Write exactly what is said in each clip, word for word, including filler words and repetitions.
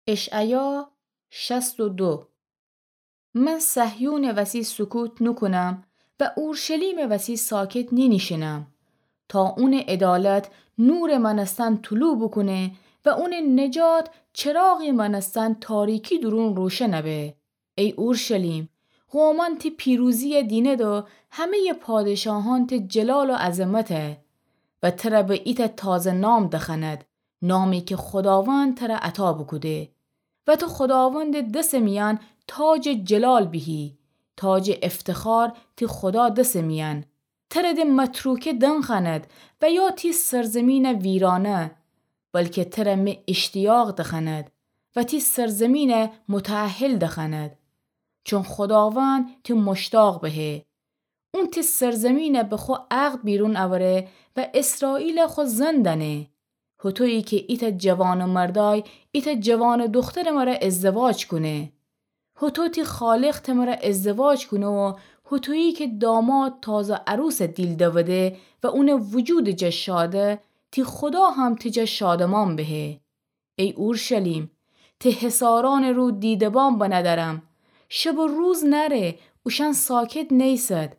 اشعیا شصت و دو. من صهیونٚ وسی سکوت نوکونم و اورشلیمٚ وسی ساکت نینیشینم، تا اونٚ عدالت نورٚ مأنستن طلوع بوکونه و اونٚ نجات چراغی مأنستن تاریکی دورون روشن به. ای اورشلیم، قومأن تی پیروزیَ دینید و همه‌یٚ پادشاهأن تی جلال و عظمته و تره به ایتأ تازه نام دخوأند، نامی که خوداوند تره عطا بوکوده. و تو خوداوندٚ دسٚ میأن تاجٚ جلال بیهی، تاجٚ افتخار تی خودا دسٚ میأن. تره د متروکه دنخوأند و یا تی سرزمینٚ ویرانه، بلکه تره می اشتیاق دخوأند و تی سرزمینٚ متأهل دخوأند. چون خوداوند تی مشتاق بهه. اون تی سرزمینَ به خو عقد بیرون اوره و اسرائیلَ خو زن دأنه. هوطویی که ایتأ جوانٚ مردأی ایتأ جوانٚ دوخترٚ مره ازدواج کونه. هوطو تی خالق ته مره ازدواج کونه و هوطویی که داماد تازه عروسَ دیل دوده و اونٚ وجودٚ جا شاده، تی خودا هم تی جا شادمان بهه. ای اورشلیم، تی حصارأنٚ رو دیده‌بان بنه دأرم. شب و روز نأره، اوشأن ساکت نیسد.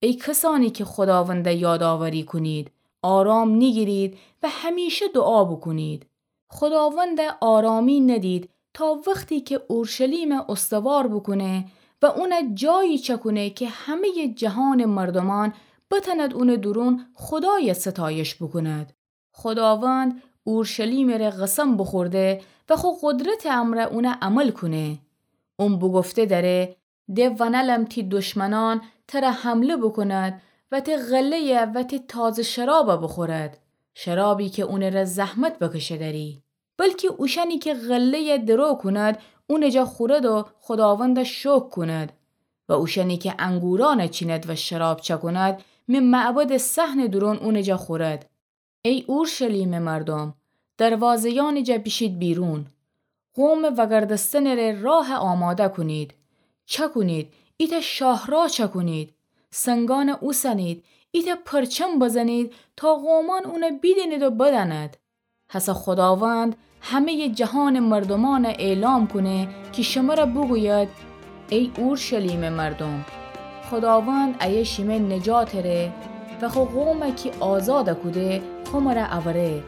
ای کسأنی که خوداوندَ یادآوری کونید، آرام نیگیرید و همیشه دوعا بوکونید. خوداوندَ آرامی ندید تا وختی که اورشلیمَ استوار بوکونه و اونَ جایی چأکونه که همه‌یٚ جهانٚ مردومأن بتأند اونٚ دورون خودایَ ستایش بوکوند. خوداوند اورشلیمٚ ره قسم بوخورده و خو قدرتٚ امرأ اونَ عمل کونه. اون بوگفته دأره: د ونألم تی دشمنأن تره حمله بوکوند و تی غله‌یَ و تی تازه شرابَ بوخورد، شرابی که اونٚ ره زحمت بکشه دأری. بلکی اوشأنی که غله‌یَ درو کوند، اونٚ جا خورد و خوداوندَ شکر کوند و اوشأنی که انگورأنَ چیند و شراب چأکوند، می معبدٚ صحنٚ دورون اونٚ جا خورد. ای اورشلیمٚ مردوم، دروازه‌یأنٚ جا بیشید بیرون. قومٚ وأگردستنٚ ره راه آماده کونید. چأکونید، ایتأ شاهراه چأکونید. سنگأنَ اوسنید، ایتأ پرچم بزنید تا قومأن اونَ بیدینید و بدأند. هسه خوداوند همه‌یٚ جهانٚ مردومأنَ اعلام کونه کی شمره بوگوید: ای اورشلیمٚ مردوم، خوداوند ایه شیمه نجاتٚ ره و خو قومَ کی آزادَ کوده خو مره اوره.